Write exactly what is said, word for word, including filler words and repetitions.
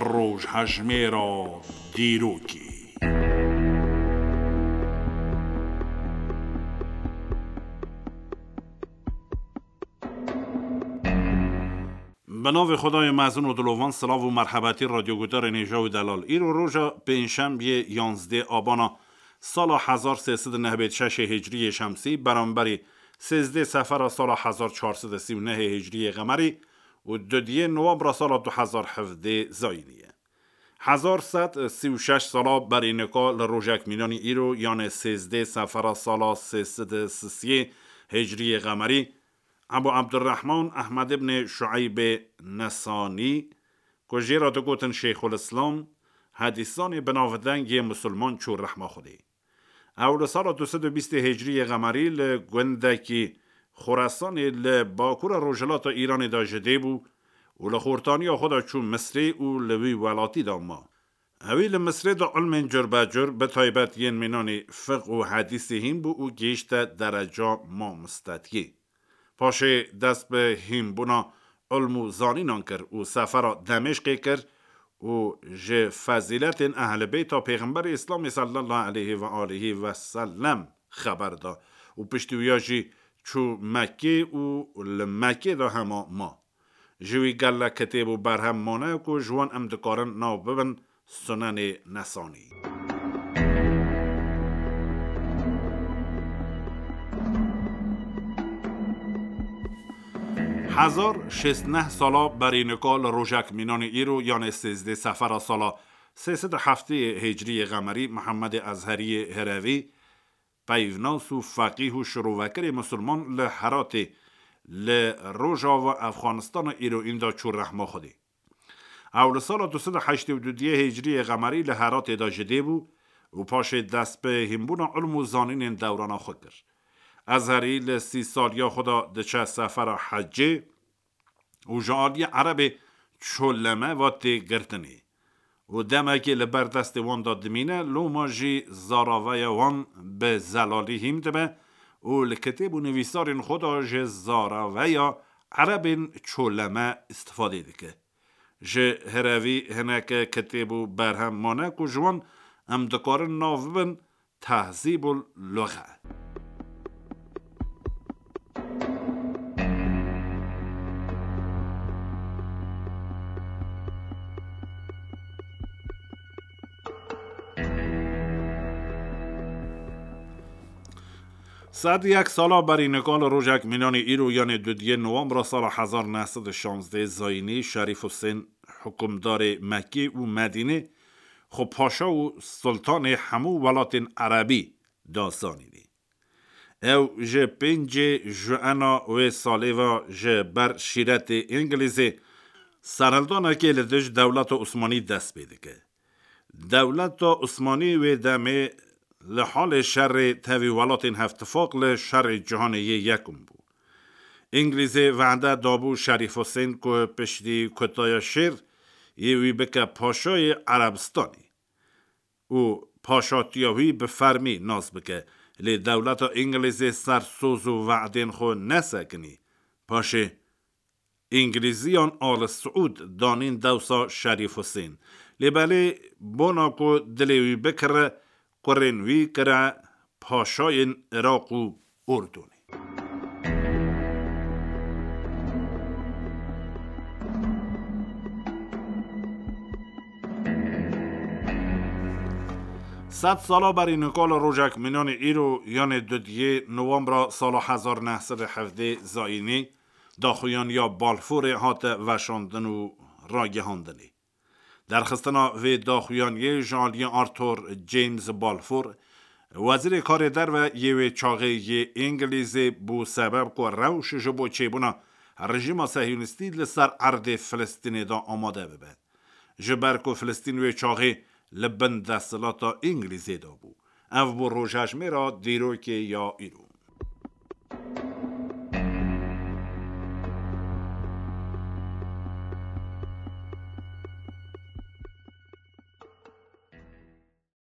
Rojhejmêra dîrokê. Bi navê Xwedayê mezin û dilovan, silav û merhebetî radyoguhdarên hêja û delal. Îro roja pêncşembiyê yanzdê abana sala hezar sê sed û nehbêt şeşê hicriyê şemsî, beramberî sêzdê sefera sala hezar çar sed û sî û nehê hicriyê qemerî û dudiyê nowembra sala du hezar hevdê zayînî ye. Hezar sed sî û şeş sala berî nika li rojek mînanî îro, yanê sêzdê sefera sala sê sed û sisiyê hicriyê qemerî, Ebu Ebdurrehman Ehmed ibnê Şueybê Nesanî, ku jê re digotin Şêxul Îslam, hedîsanê binavdeng yê misilman çû rehma Xwedê. Ew li sala du sed û bîstê hicriyê qemerî li gundekî Xoresanê li bakura rojhilata Îranê de ji dê bû û li xortaniya xwe de çû Misrê û li wî welatî de ma. Ewî li Misrê de ilmên curbecur, bi taybet yên mînanî fiqh û hedîsê hîn bû û gihîşte dereca mamostetiyê. Paşê dest bi hînbûna ilm û zanînan kir û sefera Demêşqê kir û ji fezîletên Ehlî Beyta Pêxemberê Îslamê sallallahu aleyhi ve aleyhi ve sellem xeber da û piştî wiya jî çû Mekkê û li Mekkê de hema ma. Ji wî gelek kitêb û berhem mane ku ji wan em dikarin nav bibin Sunenê Nesanî. Hezar şêst neh sala berî nika li rojek mînanê îro, yanê sêzdê sefera sala sê sed û heftê hicriyê qemerî, Mihemedê Ezheriyê Hirevî, peyvnas û feqîh û şirovekirê misilman li Heratê, li rojava Efxanistana îroîn de çû rehma Xwedê. Ew li sala du sed û heştê û dudiyê hicriyê qemerî li Heratê de ji dê bû û paşê dest bi hînbûna ilm û zanînên dewrana xwe kir. Ezherî li sî saliya xwe de diçe sefera hecê û ji aliyê Erebê çoleme ve tê girtinê û demekê li ber destê wan de dimîne, loma jî zaraveya wan bi zelalî hîm dibe û li kitêb û nivîsarên xwe de ji zaraveya Erebên çoleme îstifadê dike. Ji Hirevî hineke kitêb û berhem mane ku ji wan em dikarin nav bibin Tehzîbul Luxe. Sed yek sala berî nika li rojek mînanî îro, yanê dudiyê nowembra sala hezar neh sed û şazdeh zayînî, Şerîf Husên, hikûmdarê Mekkê û Medînê, xwe paşa û sultanê hemû welatên erebî da zanînê. Ew ji pêncê Juena wê salê ve ji ber şîretê Îngilîzê serhildanekê li dij dewleta Osmanî dest pê dike. Dewleta Osmanî wê demê li halê şerê tevî welatên Hevtifaq li şerê cîhanê yê yekum bû. Îngilîzê vehde dabû Şerîf Husên ku piştî kutaya şêr yê wî bike paşayê Erebistanê û paşatiya wî bi fermî nas bike. Lê dewleta Îngilîzê ser soz û wehdên xwe nesekinî. Paşê Îngilîziyan Al Siûd danîn dewsa Şerîf Husên. Lê belê bona ku dilê wî bikire, kurên wî kire paşayên Iraq û Urdunê. Sed sala berî nika li rojek mînanê îro, yanê dudiyê nowembra sala hezar neh sed û hevdeh zayînî, daxuyaniya Balfourê hate veşandin û ragihandinê. Derxistina vê daxuyaniyê ji aliyê Arthur James Balfour, wezîrê karê derve yê wê çaxê yê Îngilîzê, bû sebeb ku rewş ji bo çêbûna rejîma sehyonîstî li ser erdê Filistînê de amade bibe. Ji ber ku Filistîn wê çaxê li bin desthilata Îngilîzê de bû. Ev bû rojhejmêra dîrokê ya îro.